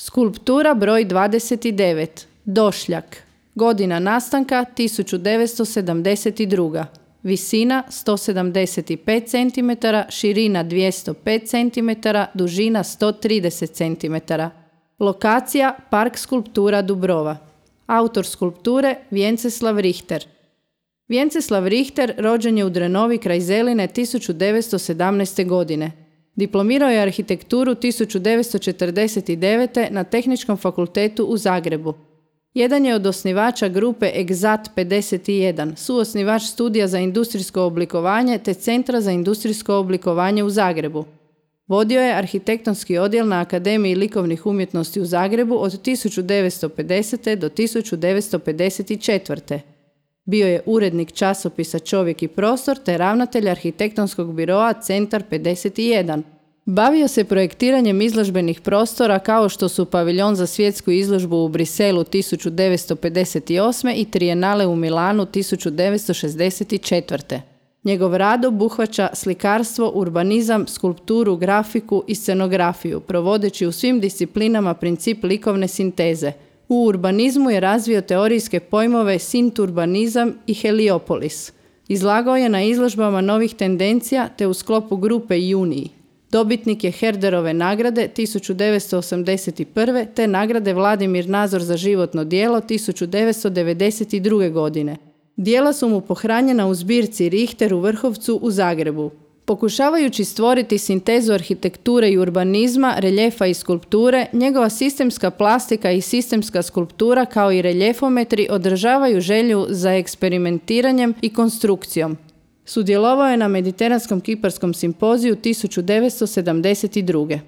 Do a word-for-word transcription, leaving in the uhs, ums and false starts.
Skulptura broj dvadeset devet. Došljak. Godina nastanka tisuću devetsto sedamdeset druga. Visina sto sedamdeset pet centimetara, širina dvjesto pet centimetara, dužina sto trideset centimetara. Lokacija Park skulptura Dubrova. Autor skulpture Vjenceslav Richter. Vjenceslav Richter rođen je u Drenovi kraj Zeline tisuću devetsto sedamnaeste. godine. Diplomirao je arhitekturu tisuću devetsto četrdeset devete. na Tehničkom fakultetu u Zagrebu. Jedan je od osnivača grupe Egzat pedeset jedan, suosnivač studija za industrijsko oblikovanje te Centra za industrijsko oblikovanje u Zagrebu. Vodio je arhitektonski odjel na Akademiji likovnih umjetnosti u Zagrebu od tisuću devetsto pedesete. do tisuću devetsto pedeset četvrte. Bio je urednik časopisa Čovjek i prostor te ravnatelj arhitektonskog biroa Centar pedeset jedan. Bavio se projektiranjem izložbenih prostora kao što su paviljon za svjetsku izložbu u Briselu tisuću devetsto pedeset osme. i Trijenale u Milanu tisuću devetsto šezdeset četvrte. Njegov rad obuhvaća slikarstvo, urbanizam, skulpturu, grafiku i scenografiju, provodeći u svim disciplinama princip likovne sinteze. U urbanizmu je razvio teorijske pojmove sinturbanizam i heliopolis. Izlagao je na izložbama novih tendencija te u sklopu grupe Juniji. Dobitnik je Herderove nagrade tisuću devetsto osamdeset prve. te nagrade Vladimir Nazor za životno djelo tisuću devetsto devedeset druge. godine. Djela su mu pohranjena u zbirci Richter u Vrhovcu u Zagrebu. Pokušavajući stvoriti sintezu arhitekture i urbanizma, reljefa i skulpture, njegova sistemska plastika i sistemska skulptura kao i reljefometri održavaju želju za eksperimentiranjem i konstrukcijom. Sudjelovao je na Mediteranskom kiparskom simpoziju tisuću devetsto sedamdeset druge.